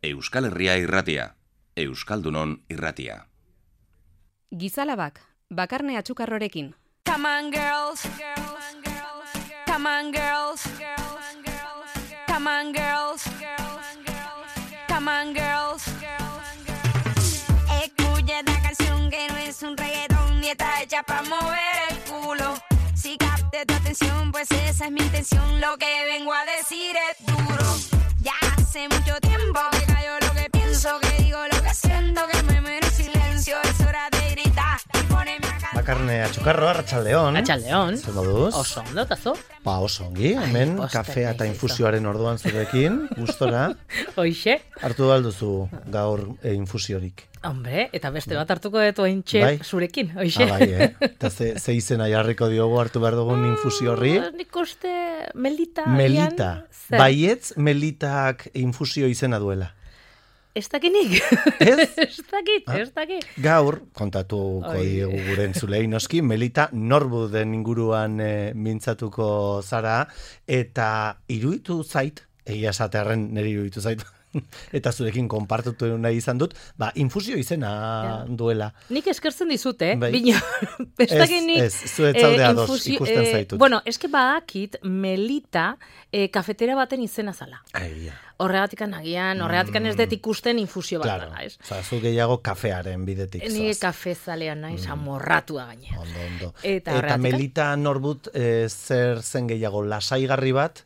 Euskal Herria irratia, Euskaldunon irratia. Gizalabak, Bakarne Atxukarrorekin. Come on girls, come on girls, come on girls, come on girls. Escucha esta canción que no es un reggaetón ni está hecha para mover el culo. Si capte tu atención, pues esa es mi intención. Lo que vengo a decir es duro. Ya hace mucho tiempo que callo lo que pienso, que digo lo que siento, que me muero en silencio. Es hora de gritar y ponerme a cantar. Bakarne Atxukarro, Arratsaldeon. Atxaldeon. Zer moduz? Oso ondo, tazo. Oso ongi, hemen kafea eta infusioaren orduan zurekin, gustora. Hoixe. Hartu alduzu gaur infusiorik. Hombre, eta beste bat hartuko dut ointxe Bai? zurekin, hoixe. Bai, Eta ze izena jarriko diogu hartu behar dugun infusio horri? Nik uste Melita. Melita. Zer? Baietz Melitak infusio izena duela. Ez dakinik. Ez? Ez dakit. Gaur, kontatuko diegu gure entzulei noski, Melita Norbuden inguruan mintzatuko zara, eta iruditu zait, egia esatearren niri iruditu zait, eta zurekin konpartutu nahi izan dut, infusio izena duela. Nik eskertzen dizut, Bai. Bino, ez dakit nik... Ez, zuetzalde ados ikusten zaitut. Bueno, eske badakit Melita kafetera baten izena zala. Aia. Horregatikan agian, horregatikan ez dut ikusten infusio bat dela, ez? Oza, zu gehiago kafearen bidetik zoaz. Ni kafezalean naiz, amorratua gainera. Ondo. Eta Melita Norbut zer zen gehiago lasaigarri bat,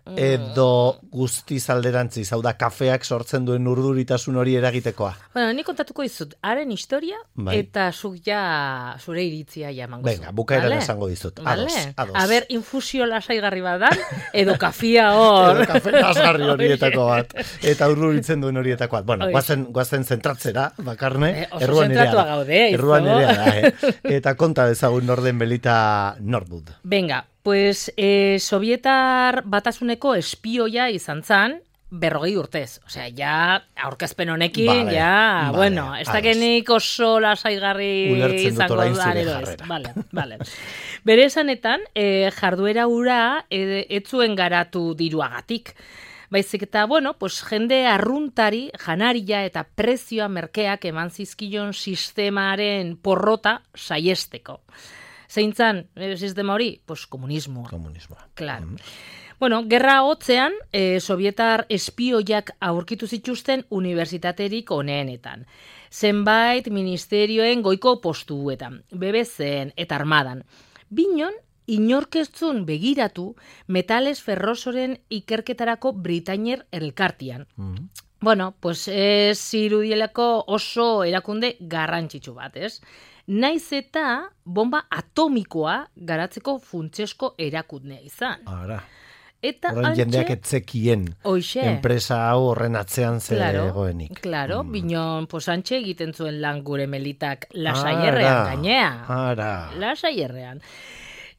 edo guztiz alderantziz, hau da kafeak sortzen duen urduritasun hori eragitekoa. Bueno, ni kontatuko dizut, haren historia, Bai. eta zuk ja zure iritzia ja emango zu. Venga, bukaeran esango dizut. Ados. A ber, infusio lasaigarri bat da, edo kafia hor. Edo kafe lasgarri horietako bat, eta urduritzen duen horietako bat. Bueno, guazen zentratzera, Bakarne, oso zentratua gaude, erruan nerea da, Eta konta dezagun norden Melita Norbut. Venga, pues Sovietar Batasuneko espioia izan zan, 40 urtez. Osea, ja, aurkezpen honekin, bueno, ez dakenik oso lasaigarri izango da, Vale. Bere esanetan, jarduera hura ez zuen garatu diruagatik. Baizik eta, bueno, pues jende arruntari, janaria eta prezioa merkeak eman zizkion sistemaren porrota saiesteko. Zeintzan, sistema hori? Pues komunismoa. Claro. Bueno, gerra hotzean, sovietar espioiak aurkitu zituzten unibertsitaterik oneenetan. Zenbait ministerioen goiko postuetan, BBC-en eta armadan. Binon, inorkeztzun begiratu metales ferrosoren ikerketarako Britainier elkartian. Bueno, pues ez irudielako oso erakunde garrantzitsu bat, ez? Naiz eta bomba atomikoa garatzeko funtsezko erakundea izan. Ara. Eta horren jendeak etzekien enpresa hau horren atzean zegoenik. Claro, binon posantxe egiten zuen lan gure Melitak lasaierrean gainea. Ara. Lasaierrean.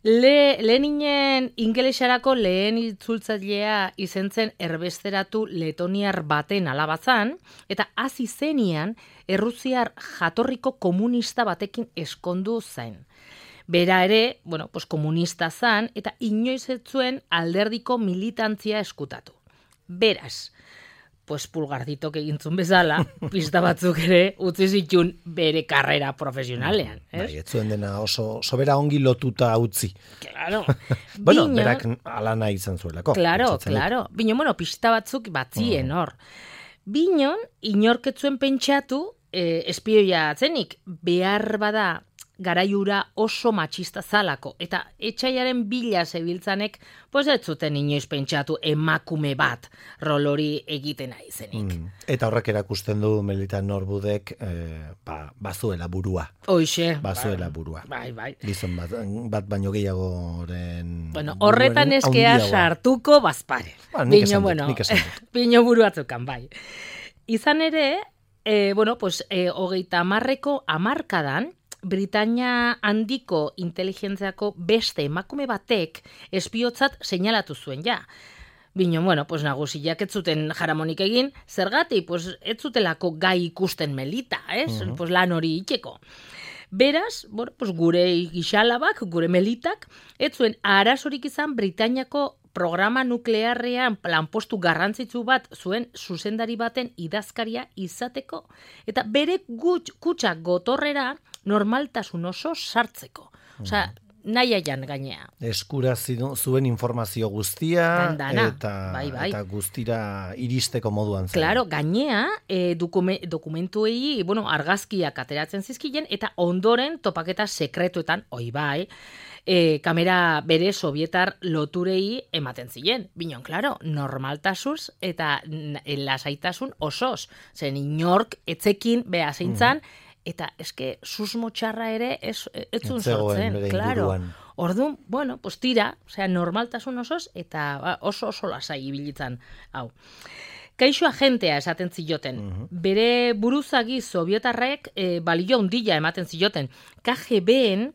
Leninen ingelesarako lehen itzultzailea izen zen erbesteratu letoniar baten alabazan, eta hasi zenian errusiar jatorriko komunista batekin eskondu zen. Bera ere, bueno, pues komunista zan, eta inoiz ez zuen alderdiko militantzia eskutatu. Beraz, pues pulgarditok egintzun bezala, pista batzuk ere utzi zitun bere karrera profesionalean. Bai, ez zuen dena oso sobera ongi lotuta utzi. Claro. Bueno, berak alana izan zuelako. Claro. Binon, bueno, pista batzuk batzien hor. Binon, inorketzuen pentsatu, espioia atzenik, behar bada garaiura oso matxista zalako, eta etxaiaren bila zebiltzanek, pues ez zuten inoiz pentsatu emakume bat rol hori egiten aizenik. Eta horrek erakusten du Melita Norbudek bazuela burua. Hoixe. Bazuela burua. Bai. Gizon bat baino gehiagoren... Bueno, horretan eskea sartuko bazpare. Nik esan dut. Pino buru batzukan, bai. Izan ere, bueno, pues, 30ko hamarkadan, Britania handiko inteligentziako beste emakume batek espiotzat seinalatu zuen ja. Bino, bueno, pues nagusiak ez zuten jaramonik egin, zergatik, pues ez zutelako gai ikusten Melita, ez? Pues lan hori itxeko. Beraz, bueno, pues gure gixalabak, gure Melitak, ez zuen arazorik izan Britainiako programa nuklearrean lanpostu garrantzitsu bat zuen zuzendari baten idazkaria izateko, eta bere kutsa gotorrera normaltasun oso sartzeko. Osea, nahiaian gainea. Eskura zuen informazio guztia eta guztira iristeko moduan zen. Claro, gainea dokumentuei, argazkiak ateratzen zizkien eta ondoren topaketa sekretuetan, kamera bere sovietar loturei ematen ziren. Binon, claro, normaltasuz eta lasaitasun osoz. Zen inork etzekin beha zeintzan, eta eske susmo txarra ere etzun sortzen, claro. Orduan, tira, normaltasun osoz, eta oso lasai ibilitzen, hau. Kaixo agentea esaten zioten. Bere buruzagi sovietarrek balio handila ematen zioten. KGB-ren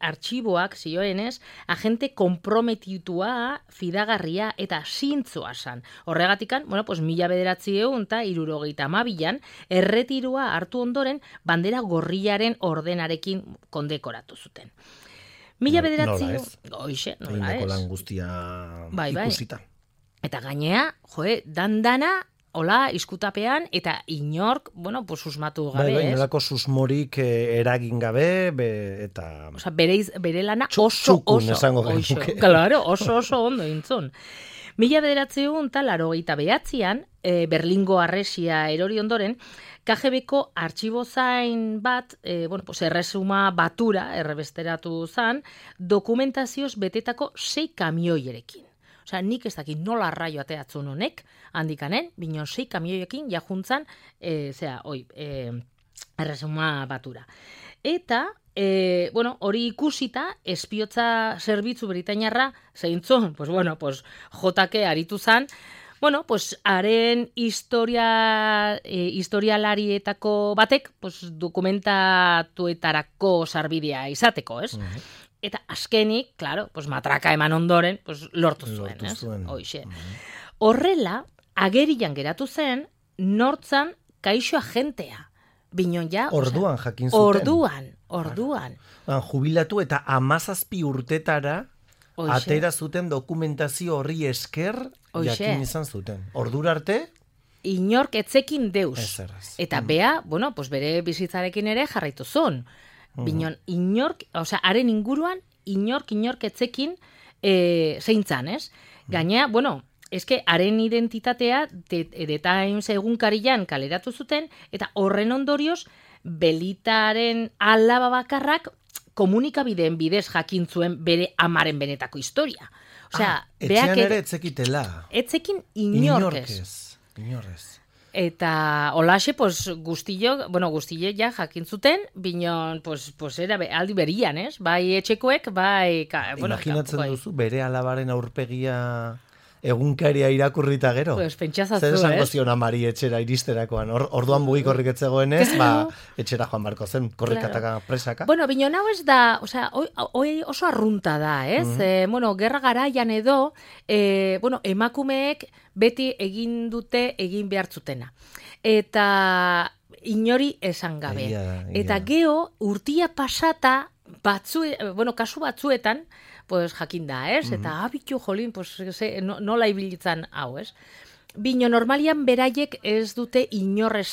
artxiboak zioenez, agente konprometitua, fidagarria eta zintzoa zan. Horregatikan, 1972an, erretiroa hartu ondoren, bandera gorriaren ordenarekin kondekoratu zuten. Nola ez? Nola ez? Lan guztia ikusita. Eta gainea, dandana, hola, izkutapean, eta inork, susmatu gabe, ez? Nolako susmorik eragin gabe, eta... Osa, bere lana oso ondo intzun. 1989an, Berlingo harresia erori ondoren, KGB-ko artxibozain bat, erresuma batura, errebesteratu zan, dokumentazioz betetako 6 kamioierekin. Osea, nik ez dakit nola arraio ateatzun honek, handikanen, binon 6 kamioiekin jajuntzan, erresuma batura. Eta, hori ikusita, espiotza zerbitzu britainarra, zeintzun, jotake aritu zan, haren historialarietako batek, dokumentatuetarako sarbidea izateko, ez? Eta azkenik, claro, matraka eman ondoren, lortu zuen, ez? Horrela, agerian geratu zen, nortzan kaixo agentea. Binon ja... Orduan jakin zuten. Orduan. Jubilatu eta 17 urtetara atera zuten dokumentazio horri esker jakin izan zuten. Ordura arte? Inork etzekin deus. Eta bea, bere bizitzarekin ere jarraitu zuen. Binon, haren inguruan, inork etzekin zeintzan, ez? Gainea, eske haren identitatea The Times egunkarian kaleratu zuten, eta horren ondorioz, Belitaren alaba bakarrak komunikabideen bidez jakin zuen bere amaren benetako historia. Etxean ere etzekitela. Etzekin inorkez. Eta holaxe, guztile ja jakin zuten, binon, era aldi berian, ez? Bai etxekoek, bai... Imaginatzen duzu, bere alabaren aurpegia egunkaria irakurrita gero? Pentsazazu, zer esango zion amari etxera iristerakoan? Orduan bugi korriketzegoen ez, etxera joan barko zen, korrikataka presaka? Binon hau ez da, oso arrunta da, ez? Gerra garaian edo, emakumeek beti egin dute egin behartzutena. Eta inori esan gabe. Eta geho, urtia pasata, kasu batzuetan, jakin da, ez? Eta abitu jolin, nola ibilitzen hau, ez? Bino, normalian beraiek ez dute inoiz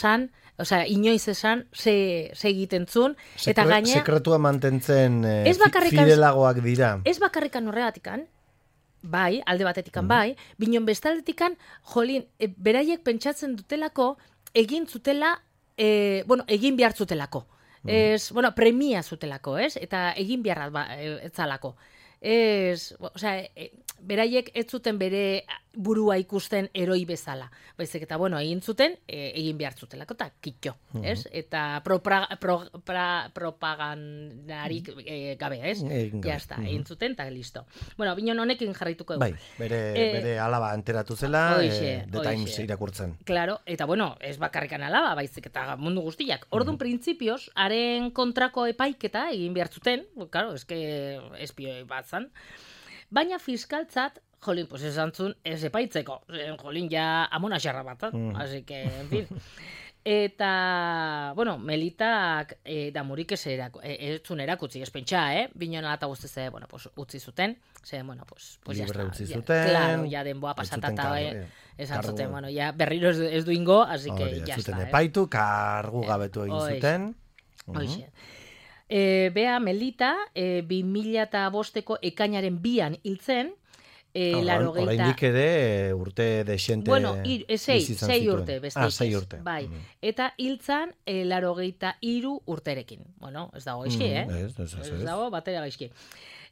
esan ze egiten zun. Eta gaine... Sekretua mantentzen fidelagoak dira. Ez bakarrikan horregatikan, bai, alde batetikan bai, binon bestaldetikan, jolin, beraiek pentsatzen dutelako, egin egin behar zutelako. Premia zutelako, ez? Eta egin beharra etzalako. Beraiek ez zuten bere burua ikusten eroi bezala. Baizik eta, egin zuten, egin behar zutelako, eta kitxo, ez? Eta propagandarik gabe, ez? Jazta, egin zuten, eta listo. Binon honekin jarraituko dugu. Bai, bere alaba enteratu zela, The Times irakurtzen. Claro, eta ez bakarrikan alaba, baizik eta mundu guztiak. Orduan, printzipioz, haren kontrako epaiketa egin behar zuten, claro, espioi bat zan. Baina fiskaltzat, jolin, esan zuen, ez epaitzeko. Jolin, ja amona xarra bat, así que, en fin. Eta, bueno, Melitak damurik ez zuen erakutzi, ez pentsa, Binona eta guztiz, bueno, pues, utzi zuten, bueno, pues ya Libre está. utzi zuten. Claro, ya denboa pasatata, esan zuten, bueno, ya berriro ez du ingo, así que ya zuten está. epaitu, kargu gabetu egin zuten. Hoxe. Bea Melita, 2005ko ekainaren 2an hiltzen, Oraindik ere urte dexente sei urte, besteik. 6 urte. Bai. Eta hiltzan 83 urterekin. Bueno, ez dago gaizki, Ez dago batera gaizki.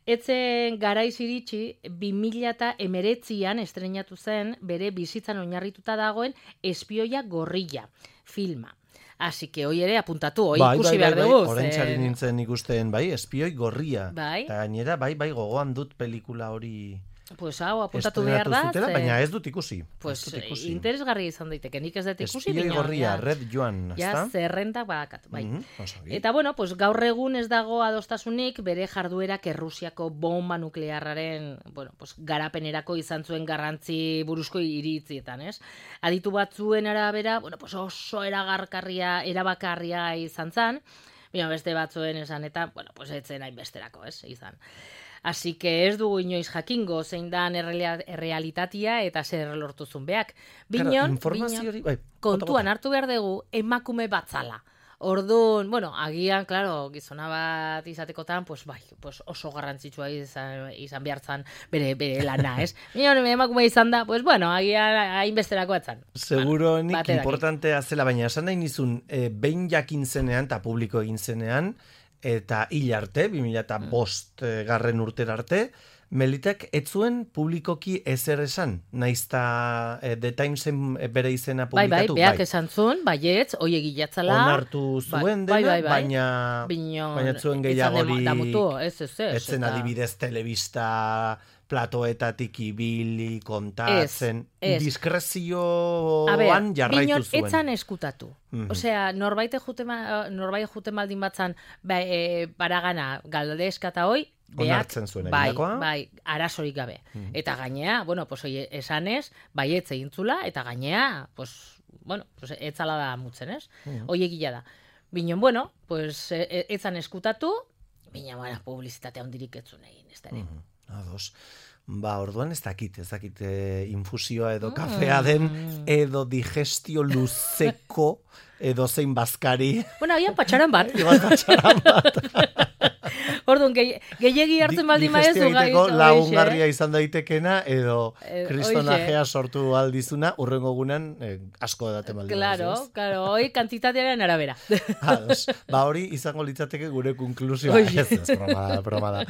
Etzen garaiz iritsi 2019an estrenatu zen bere bizitzan oinarrituta dagoen Espioia gorrilla filma. Así que hoy ere apuntatu, hoy ikusi behar dugu. Oraintzari nintzen ikusten, Espioi gorria. Bai. Eta gainera, gogoan dut pelikula hori Pues hau apuntatu behar da. Zutela, baina ez dut ikusi. Pues interesgarri izan daiteke, nik ez dut ikusi. Espioi gorria, Red Joan, ja, zerrendak badakat, bai. Osogi. Eta bueno, pues gaur egun ez dago adostasunik bere jarduerak Errusiako bomba nuklearraren, bueno, pues garapenerako izan zuen garrantzi buruzko iritzietan, ez? Aditu batzuen arabera, bueno, pues oso erabakarria izan zan, baina beste batzuen esan eta, bueno, pues etzen hainbesterako, ez? Izan. Así que ez dugu inoiz jakingo zein dan errealitatea eta zer lortuzun beak. Binon, kontuan hartu behar dugu emakume batzala. Orduan, bueno, agian, claro, gizona bat izatekotan, pues oso garrantzitsua izan behartzan bere lana, ez? Binon, emakume izan da, pues bueno, agian hainbesterako atzan. Seguro nik importantea zela, baina esan nahi nizun, behin jakin zenean, eta publiko egin zenean, eta hil arte, 2005 garren urtera arte, Melitak ez zuen publikoki ezer esan, naizta The Timesen bere izena publikatu. Bai, beak esan zuen, baietz, hoi egilatzala. Onartu zuen dena, baina zuen gehiagori, etzen adibidez telebista platoetatik ibili, kontatzen, diskrezioan jarraitu zuen. Binon etzan eskutatu. Osea, norbait juten baldin batzan paragana galdezka eta hoi, onartzen zuen eginakoa. Bai, arazorik gabe. Eta gainea, bueno, pues esanez, baietz egintzula, eta gainea, pues, bueno, pues etzala da mutzen, ez? Hoi egila da. Binon, bueno, pues etzan eskutatu, bina, bueno, publizitatea hondirik etzun egin, ez da ere. Ados. Orduan ez dakit infusioa edo kafea den, edo digestio luzeko, edo zein bazkari. Bueno, agian patxaran bat. Orduan, gehiegi hartzen baldin maezu gai. Lagungarria izan daitekena, edo kristonajea sortu aldizuna, urrengo gunan asko edaten baldin. Claro, hoi kantitatearen arabera. Hori izango litzateke gure konklusioa. Ez, broma da.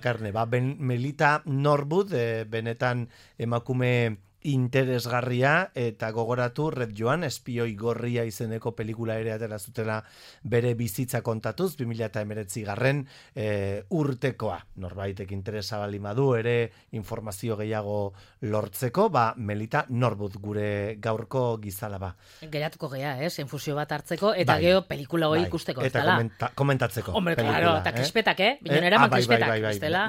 Karne, Melita Norwood, benetan emakume interesgarria, eta gogoratu Red Joan, Espioi gorria izeneko pelikula ere atera zutela bere bizitza kontatuz, 2019 garren urtekoa. Norbaitek interesa baldin badu ere informazio gehiago lortzeko, Melita Norwood gure gaurko gizalaba. Geratuko gea, infusio bat hartzeko, eta geho pelikula hori ikusteko. Eta komentatzeko. Hombre, claro, eta krispetak, Binonera man krispetak, bestela.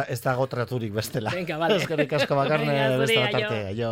Ez dago traturik bestela. Eskerrik asko Bakarne, beste bat arte, jo.